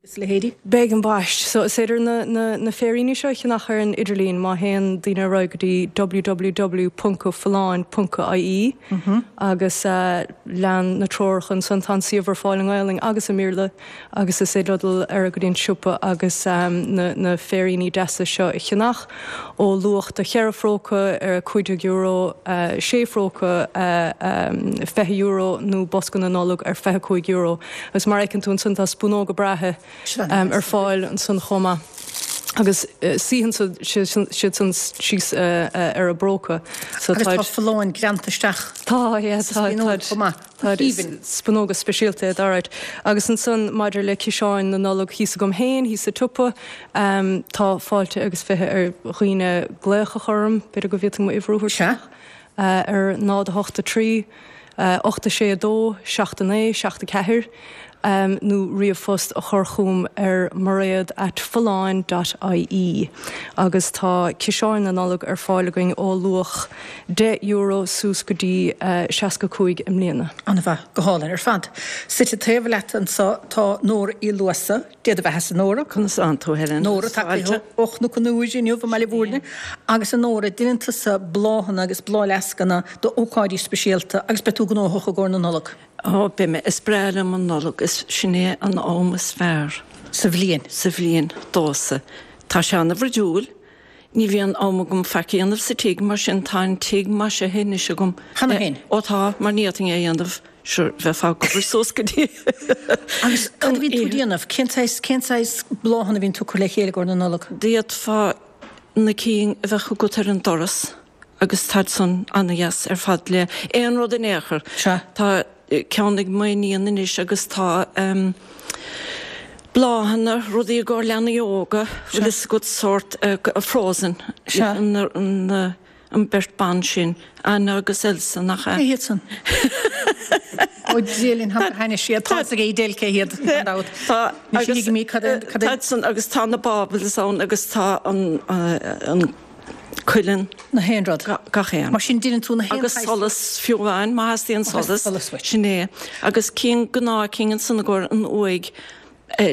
agus a leithéidí. Beidh ambaist. So is féidir na na na féiríní seo a cheannach ar an idirlíon má théann daoine ar aghaidh go dtí www ponc folláin ponc ie agus lean na treoracha ansan. Tá an suíomh ar fáil i nGaelainn agus i mBéarla agus is féidir leo dul ar aghaidh go dtí an siopa agus na na féiríní deasa seo a cheannach ó luach de cheithre phróca ar €15, sé phróca €20 nó bosca na Nollag ar €25. Agus mar a fheiceann tú ansan tá spúnóga breátha ar fáil ansan chomh maith. Agus suíonn siad san síos ar an bpróca. So Agus tá folláin greanta isteach Tá, yeah, sa spúnóg chomh maith. Tá spúnóga speisialta iad, alright. Agus ansan maidir le ciseáin na Nollag thíos agam féin, thíos sa tsiopa, tá fáilte agus 20 ar dhaoine glaoch a chur orm, b'fhéidir go bhféadfainn m'uimhir a thabhairt Sea. ar 0 8 3 8 6 2 7 9 7 4 nó ríomhphost a chur chugam ar mairéad at folláin dot ie agus tá ciseáin na Nollag ar fáil againn ó luach €10 suas go dtí 65 i mbliana. An-mhaith, go hálainn ar fad. Suite taobh leat anso tá Nóra Uí Luasa. Dé do bheathasa, a Nóra. Conas tánn tú, Helen? Nóra, tagtha ó Chnoc an Iúir inniu i mBaile Bhúirne. Agus a Nóra, deineann tusa bláthanna agus bláthfhleascanna d'ócáidí speisialta agus beidh tú gnóthach i gcomhair na Nollag. Ó, beidh mé. Is breá liom an Nollaig. Is sin é an am is fearr. Sa bhliain. Sa bhliain, domhsa. Tá sé ana-bhruidiúil. Ní bhíonn am agam faic a dhéanamh sa tigh, mar sin tá an tigh maisithe anois agam. Cheana féin? Ó tá, mar ní fhéadfainn é a dhéanamh, sure, bheifeá ag obair suas go dtí Agus cad a bhíonn tú ag déanamh? Cén saghas, cén saghas bláthanna a bhíonn tú ag cur le chéile i gcomhair na Nollag? D'fhéadfá na cinn a bheadh agat ar an doras agus táid san ana-dheas ar fad le aon rud in aon chor. Sea. Tá ceann ag m'iníon anois agus tá bláthanna, rudaí i gcomhair leanaí óga, bhfuil fhios agat, sórt Frozen, an beirt ban sin, Anna agus Elsa, nach ea? Cé hiad san? Ó Dia linn, tá thaitnigh siad, tá fhios ag Edel cé hiad, gan dabht. Tá, Anois thuigimid cad é, cad é. Táid san agus tá na baubles ann agus tá an cuileann. Na haon rud. Gach aon. Mar sin deineann tú na haon Agus solas fiú amháin, má theastaíonn solas. Solas uait. Sin é. Agus cinn, gnáth cinn ansan i gcomhair an uaigh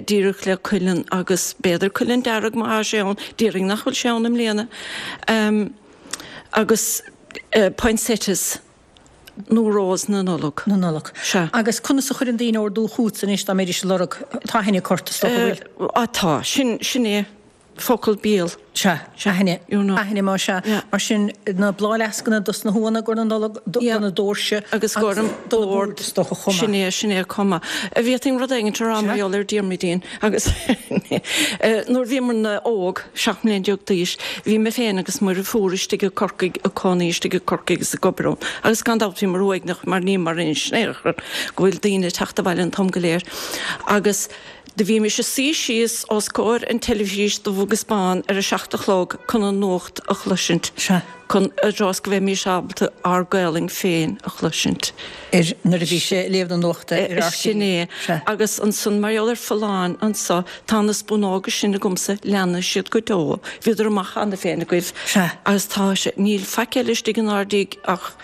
díreach le cuileann agus b'fhéidir cuileann dearg má thá sé ann, déarfainn nach bhfuil sé ann i mbliana. Agus poinsettias nó rose na Nollag. Na Nollag. Sea. Agus conas a chuireann daoine ordú chugatsa anois dá mbeidís ag lorg, tá aithne acu ort is dócha, bhfuil? Á tá, sin, sin é focal béil. Sea, aithne, aithne má sea. Mar sin, na bláthfhleascanna dos na huanna i gcomhair na Nollag, do na doirse agus do na boird is dócha chomh maith. Sin é, sin é chomh maith. Bhféadfainn rud éigin a rá mar gheall ar Diarmuidín agus nuair a bhíomarna óg, 17 mbliana d'aois, bhí mé féin agus mo dheirfiúr istigh i Corcaigh, ag cónaí istigh i Corcaigh agus ag obair ann agus gan dabht bhíomar uaigneach mar níomar anois in aon chor go bhfuil daoine ag teacht abhaile an t-am go léir agus Do bhímis ag suí síos os comhair an teilifís dubh agus bán ar a seacht a chlog chun an nuacht a chloisint, chun i dtreo is go bheimís ábalta ár Gaolainn féin a chloisint. Ar nuair a bhí sé ag léamh na nuachta ar RTÉ. Sin é. Agus ansan mar gheall ar Folláin anso, tá na spúnóga sin agamsa, leanfaidh siad go deo. Bhíodar amach cheana féin agaibh. Agus tá sé, níl faic eile istigh inár dtigh ach.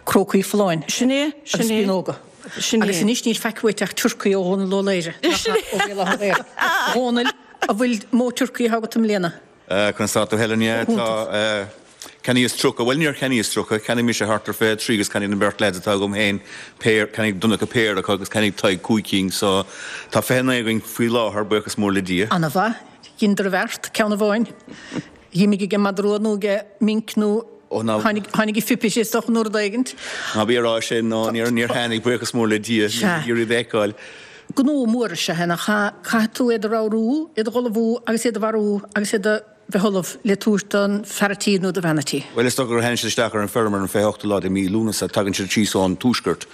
Crócaí folláin. Sin é, sin Agus é. spíonóga. Sin é. Agus anois níl faic uait ach turcaí ó Dhónal Ó Laoghaire, nach ea, ó Bhéal Átha Ghaorthaidh. A Dhónaill, an bhfuil mó turcaí atá agat i mbliana? Conas tá tú Helen? Yeah, tá. Cheannaíos 30, bhuel níor cheannaíos 30, cheannaigh mise thart ar 23 agus cheannaigh an bheirt leaids atá agam féin péire, cheannaigh Donncha péire acu agus cheannaigh Tadhg cúig cinn so tá 29 againn faoi láthair, buíochas mór le Dia. Ana-mhaith. Dhein d'oirbheart, ceann amháin. D'imigh ag an madra rua nó ag minc nó tháinig a phipis is dócha nó rud éigint. Ná bí ag rá sin, nó níor tháinig, buíochas mór le Dia, níl iarraidh a fheiceáil. Gnó mór is ea é, nach ea? Caithfidh tú iad a ramhrú, iad a dh'ullmhú agus iad a mharú agus iad a bheith ullamh le tabhairt don fear a' tí nó do bhean a' tí. Bhuel, is dócha gur tháinig siad isteach ar an feirm ar an 28ú lá de mí Lúnasa, tagann siad síos ón tuaisceart.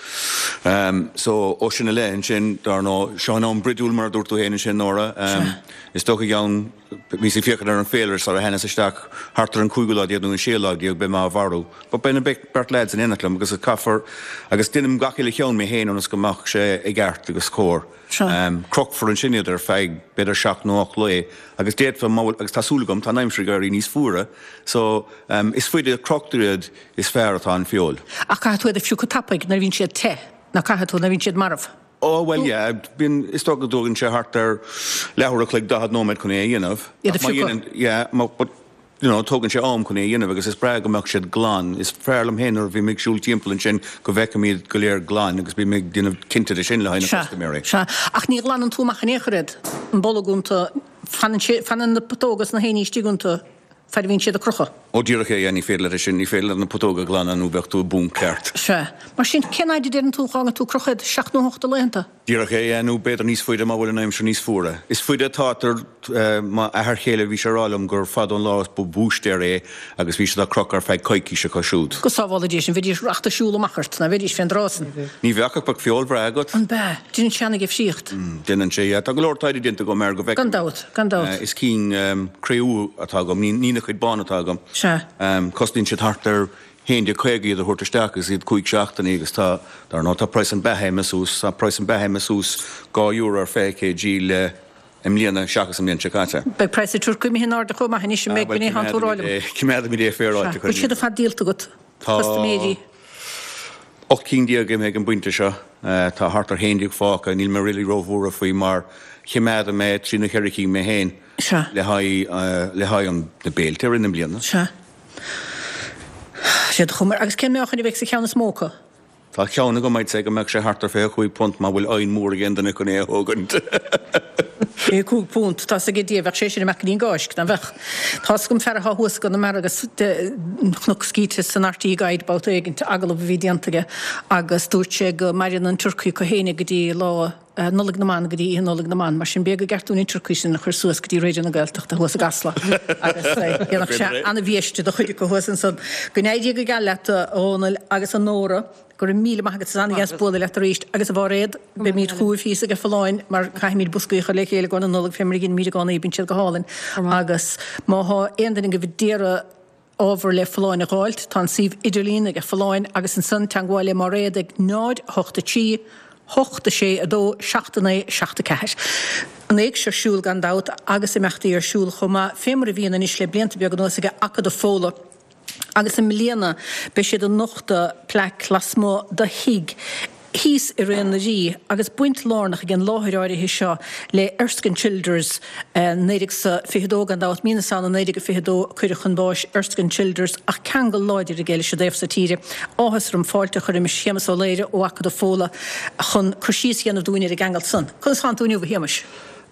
So, ó sin i leith ansin, dar ndóigh, seo an am bruidiúil mar a dúirt tú féin ansin, Nóra. Is dócha i gceann. Bhíos ag féachaint ar an féilire sara thángas isteach thart ar an cúigiú lá déag nó an séú lá déag beidh mé á mharú. But beidh na beirt lads in éineacht liom agus caithfear agus déanaim gach uile cheann mé féin ionas go mbeadh sé i gceart agus cóir. Crochfar ansin iad ar feadh b'fhéidir seacht nó ocht lae agus d'fhéadfá má bhfuil agus tá súil agam tá an aimsir ag éirí níos fuaire so is faide a chrochtar iad is fearr atá an feoil. Ach caithfidh tú iad a phiocadh tapaidh nuair a bhíonn siad te, ná caithfidh tú nuair a bhíonn siad marbh? Ó, bhuel, yeah, bíonn, is dócha go dtógann sé thart ar leathuair a chloig, 40 nóiméad chun é a dhéanamh. Iad a Ach má phiocadh. dhéanann, yeah, má, but, you know, tógann sé am chun é a dhéanamh agus is breá go mbeadh siad glan. Is fearr liom féin nuair a bhím ag siúl timpeall ansin go bhfeicim iad go léir glan agus bím ag déanamh cinnte de sin le haghaidh na Sea, custaiméirí. sea. Ach ní ghlanann tú amach in aon chor iad, an bolg iontu, fanann sé, fanann na putóga is na héinní istigh iontu. Fad a bhíonn siad á gcrochadh. Ó díreach é, yeah, ní féidir leat é sin, ní féidir leat na putóga a ghlanadh nó bheadh tú i bponc ceart. Sea. Mar sin, cén fhaid a deireann tú a dh'fhágann tú ag crochadh iad? Seacht nó hocht de laethanta? Díreach é, yeah, nó b'fhéidir níos faide má bhfuil an aimsir níos fuaire. Is faide atá, m'athair chéile, bhí sé ag rá liom gur fada ón lá is ba bhúistéir é agus bhí siad á crochadh ar feadh coicíse acu siúd. Go sábhála Dia sinn, bheidís rachta siúl amach ort, ná bheidís fén dtráth san. Ní bheadh ach bheadh feoil bhreá agat. An bea? Déanann sé ana-dhifríocht. Déanann sé, yeah. Tá go leor taighde déanta agam air go bhfeicim. Gan dabht. Gan dabht. Is cinn cré-umha atá agam, ní na cuid bán atá agam. Sea. Cosnaíonn siad thart ar 11.50 iad a thabhairt isteach agus iad cúig seachtainí agus tá, dar ndóigh, tá praghas an beatha imithe suas, tá praghas an beatha imithe suas €2 ar 20 kg le i mbliana seachas an mbliain seo caite. Beidh praghas an turcaí imithe in airde chomh maith anois, an mbeidh, b'in é atánn tú a rá liom. Coimeádfaimid é féaráilte. Sea. Bhfuil siad ar fad díolta agat? Tá. Custaiméirí. 18 cinn imithe ag an bpointe seo. Tá thart ar 11 fágtha. Níl mé really róbhuartha faoi mar choimeádaigh mé trí nó cheithre cinn mé féin le haghaidh le haghaidh an na béilte i rith na bliana. Sea. Sé do chuma. Agus cén meáchan a bheidh sa cheann is mó acu? Tá ceann agam, I'd say go mbeadh sé thart ar £25 má bhfuil oigheann mór ag aon duine chun é a thógaint. £25, tá's ag Dia, bheadh sé sin amach go dtí an gCáisc, ná bheadh? Tá's agam fear atá thuas i gConamara agus chonac scíte san RTÉ Guide babhta éigint, agallamh a bhí déanta aige agus dúirt sé go maireann an turcaí acu féin go dtí lá Nollaig na mBan, go dtí Oíche Nollaig na mBan. Mar sin b'fhéidir gur gceart dúinn an turcaí sin a chur suas go dtí Raidió na Gaeltachta thuas i gCasla agus dhéanfadh sé an-bhiaiste do chuid acu thuas ansan. Go n-éirí go geal leat a Dhónaill agus a Nóra. Go raibh míle maith agat, is an-dheas bualadh leat arís. Agus a Mháiréad, beimid chugaibh thíos ag Folláin mar caithfimid boscaí a chur le chéile i gcomhair na Nollag fé mar a dheinimid i gcónaí, bíonn siad go hálainn. Agus má thá aon duine agaibh a d'iarraidh ábhar le Folláin a dh'fháilt, tá an suíomh idirlín ag Folláin agus ansan teangmháil le Máiréad ag 0 8 3 8 6 2 7 9 7 4. An éigse ar siúl gan dabht agus imeachtaí ar siúl chomh maith fé mar a bhíonn anois le blianta beaga anuas ag Acadamh Fódhla. Agus i mbliana beidh siad ag nochtadh plaic lasmuigh de thigh thíos i Raon na Rí agus baint lárnach ag an láthair áirithe seo le Erskine Childers, 1922 gan dabht, Mí na Samhna 1922 a cuireadh chun báis Erskine Childers ach ceangal láidir aige leis an dtaobh so tíre. Áthas orm fáilte a chur roimis Shéamus Ó Laoire ó Acadamh Fódhla chun cur síos a dhéanamh dúinn ar an gceangal san. Conas tánn tú inniu, a Shéamais?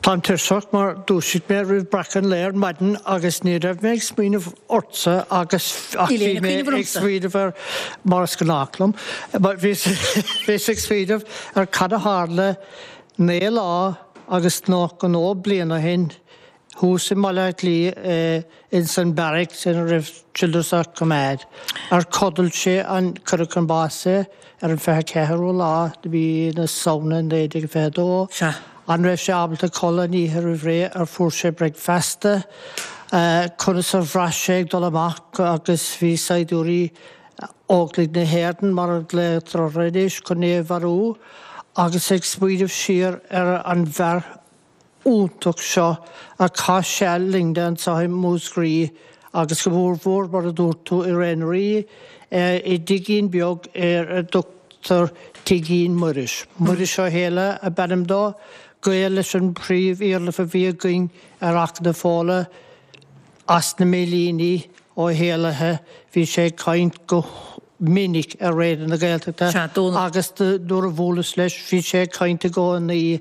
Táim tuirseach mar dhúisigh mé roimh breacadh an lae ar maidin agus ní raibh mé ag smaoineamh ortsa agus ach Níl bhí aon mé chuimhneamh ag ormsa. smaoineamh ar, mar is gnách liom, bhíos ag smaoineamh ar cad a tharla 9 lá agus 92 bliain ó shin thuas i mBaile Átha Cliath ins an beairic ina raibh Childers á coimeád. Ar chodail sé an cuireadh chun báis é ar an 24ú lá de mhí na Samhna 1922. Sea. An raibh sé ábalta codladh an oíche roimh ré? Ar fuair sé bricfeasta? Conas a bhraith sé ag dul amach agus bhí saighdiúirí Óglaigh na hÉireann, mar a ghlaotar orthu anois, chun é a mharú? Agus ag smaoineamh siar ar an bhfear iontach seo a chaith seal linne anseo i Múscraí agus go mór mhór, mar a dúirt tú, i ré na Rí, i dtigín beag ar a dtugtar Tigín Muiris. Muiris Ó hÉalaithe ab ainm dó, gaol leis an bpríomh-iarla a bhí againn ar Achadh na Fóla as na Millíní, Ó hÉalaithe. Bhí sé ag caint go minic ar Raidió na Gaeltachta agus nuair a bhuaileas leis bhí sé ag caint i gcónaí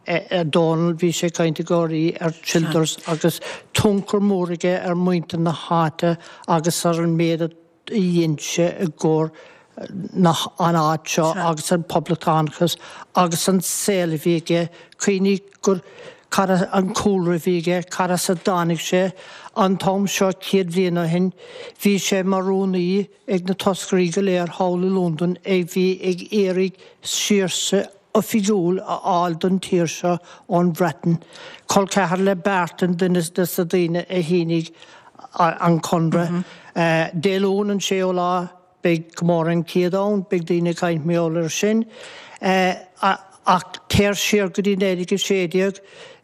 Dónal, bhí sé ag caint i gcónaí ar Childers agus tionchar mór aige ar mhuintir na háite agus ar an méid a dhein sé i gcomhair na an áit seo agus an poblachtánachas agus an saol a bhí aige. Cuimhnigh gur cad an cúlra a bhí aige, cad as a dtáinig sé. An t-am seo 100 bhliain ó shin bhí sé mar rúnaí ag na toscairí go léir thall i Londain a bhí ag iarraidh saoirse oifigiúil a fháil don tír seo ón Bhreatain. Col ceathar le Barton, duine de na daoine a shínigh an conradh. Dé Luain an séú lá beidh comóradh an 100 ann, beidh daoine ag caint mar gheall air sin. Ach téir siar go dtí 1916,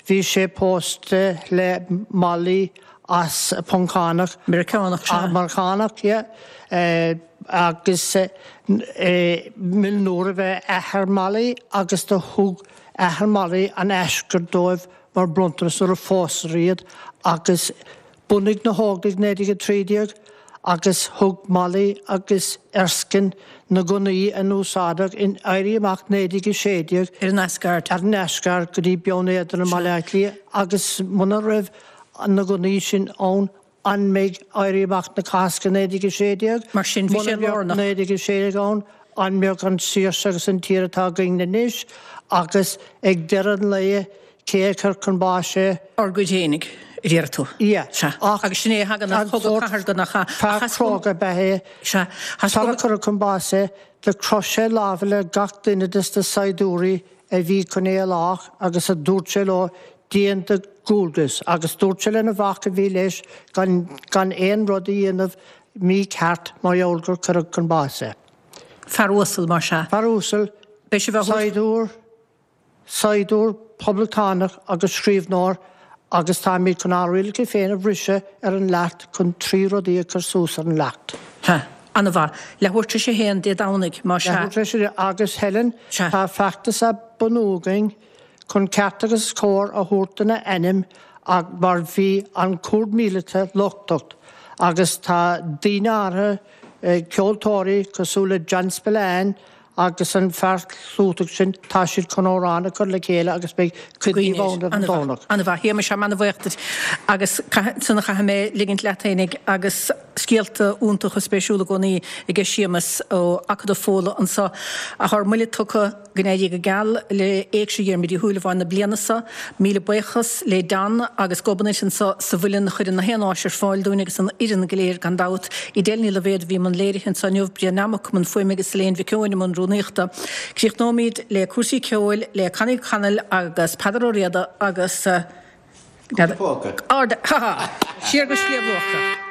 bhí sé pósta le Molly as Poncánach. Meiriceánach, sea. Meiriceánach, yeah. Agus muilneoir ab ea athair Molly agus do thug athair Molly an Asgard dóibh mar bronntanas nuair a phósadar iad agus bhunaigh na hÓglaigh 1913 agus thug Molly agus Erskine na gunnaí a n-úsáideadh in Éirí Amach 1916 Ar an Asgard. ar an Asgard go dtí Binn Éadair i mBaile Átha Cliath agus muna raibh na gunnaí sin ann An mbeidh Éirí Amach na Cásca 1916? Mar sin, bhí sé lárnach. Muna mbeadh 1916 ann, an mbeadh an saoirse agus an tír atá againn anois? Agus ag deireadh an lae, cé a chuir chun báis é? Ár gcuid fhéinig, a déarfaidh tú. Yeah. Sea. Agus sin é a thagann as cogadh cathartha nach ea? Fear cróga ab ea é. Sea. Sara cuireadh chun báis é, do chroith sé lámha le gach duine des na saighdiúirí a bhí chun é a lách agus a dúirt sé leo, Déan do dhualgas. Agus dúirt sé lena mhac a bhí leis gan gan aon rud a dhéanamh mícheart mar gheall gur cuireadh chun báis é. Fear uasal, mar sea. Fear uasal, Beidh sibh á thabhairt. saighdiúir, saighdiúir poblachtánach agus scríbhneoir agus táimid chun ár rialacha féin a bhriseadh ar an leacht chun 3 rudaí a chur suas ar an leacht. Ha. An-mhaith. Leathuair tar éis a haon Dé Domhnaigh, má sea. Leathuair tar éis a haon. Agus Helen, Sea. tá feachtas á bunú againn chun ceart agus cóir a thabhairt dona ainm ach mar bhí an cúirt míleata lochtach agus tá daoine áirithe, ceoltóirí cosúil le John Spillane agus an fear clúiteach sin, tá siad chun amhrán a chur le chéile agus beidh cuid díobh ann ar an Domhnach. An-mhaith. A Shéamais, táim an-bhuíoch duit agus ansan a chaithfidh mé ligint leat fhéinig agus scéalta iontacha spéisiúla i gcónaí aige Séamas ó Acadamh Fódhla anso ach ár mbuille tugtha. Go n-éirí go geal le Éigse Dhiarmuid Uí Shúilleabháin na bliana seo. Míle buíochas le Don agus Gobnait anso sa Mhuileann a chuireann na haon áis ar fáil dúinn agus an fhoireann go léir gan dabht. Edel Ní Loibhéad a bhí i mbun léirithe anso inniu, Brian Nammock i mbun fuaime agus Elaine Mhic Eoin i mbun rúnaíochta. Críochnóimid le cúrsaí ceoil le Connie Connell agus Peadar Ó Riada agus Ard, ha ha! Siar go Sliabh Luachra.